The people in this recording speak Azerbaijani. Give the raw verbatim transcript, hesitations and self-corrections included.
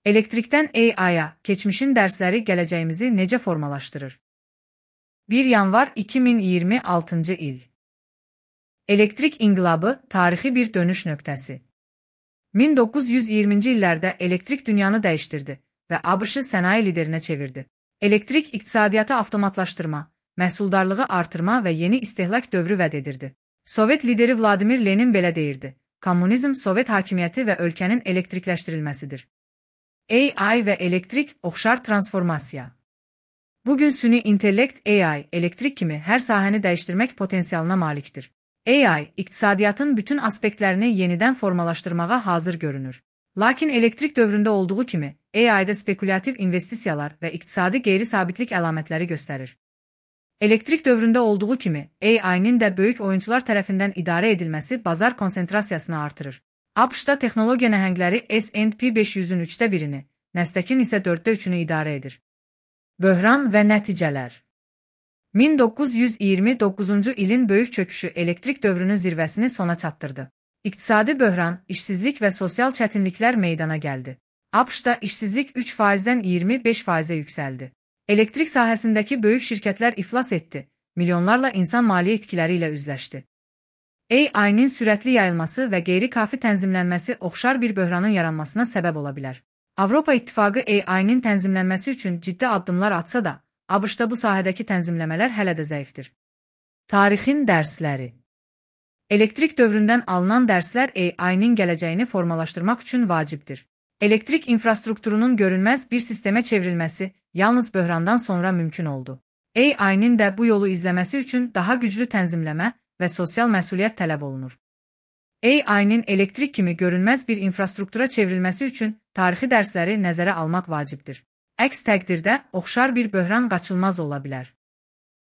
Elektrikdən A I-ya keçmişin dərsləri gələcəyimizi necə formalaşdırır? bir yanvar iki min iyirmi altıncı il. Elektrik inqilabı tarixi bir dönüş nöqtəsi. min doqquz yüz iyirminci illərdə elektrik dünyanı dəyişdirdi və ABŞ-ı sənaye liderinə çevirdi. Elektrik iqtisadiyyatı avtomatlaşdırma, məhsuldarlığı artırma və yeni istehlak dövrü vəd edirdi. Sovet lideri Vladimir Lenin belə deyirdi: kommunizm Sovet hakimiyyəti və ölkənin elektrikləşdirilməsidir. A I və elektrik oxşar transformasiya. Bugün süni intellekt A I, elektrik kimi hər sahəni dəyişdirmək potensialına malikdir. A I, iqtisadiyyatın bütün aspektlərini yenidən formalaşdırmağa hazır görünür. Lakin elektrik dövründə olduğu kimi, A I-da spekulativ investisiyalar və iqtisadi qeyri-sabitlik əlamətləri göstərir. Elektrik dövründə olduğu kimi, A I-nin də böyük oyuncular tərəfindən idarə edilməsi bazar konsentrasiyasını artırır. ABŞ-da texnologiya nəhəngləri S and P beş yüzün üçdə birini, Nasdaq'ın isə dörddə üçünü idarə edir. Böhran və nəticələr. min doqquz yüz iyirmi doqquzuncu ilin böyük çöküşü elektrik dövrünün zirvəsini sona çatdırdı. İqtisadi böhran, işsizlik və sosial çətinliklər meydana gəldi. ABŞ-da işsizlik üç faizdən iyirmi beş faizə yüksəldi. Elektrik sahəsindəki böyük şirkətlər iflas etdi, milyonlarla insan maliyyə itkiləri ilə üzləşdi. A I-nin sürətli yayılması və qeyri-kafi tənzimlənməsi oxşar bir böhranın yaranmasına səbəb ola bilər. Avropa İttifaqı A I-nin tənzimlənməsi üçün ciddi addımlar atsa da, ABŞ-da bu sahədəki tənzimləmələr hələ də zəifdir. Tarixin dərsləri. Elektrik dövründən alınan dərslər A I-nin gələcəyini formalaşdırmaq üçün vacibdir. Elektrik infrastrukturunun görünməz bir sistemə çevrilməsi yalnız böhrandan sonra mümkün oldu. A I-nin də bu yolu izləməsi üçün daha güclü tənzimləmə və sosial məsuliyyət tələb olunur. A I-nin elektrik kimi görünməz bir infrastruktura çevrilməsi üçün tarixi dərsləri nəzərə almaq vacibdir. Əks təqdirdə oxşar bir böhran qaçılmaz ola bilər.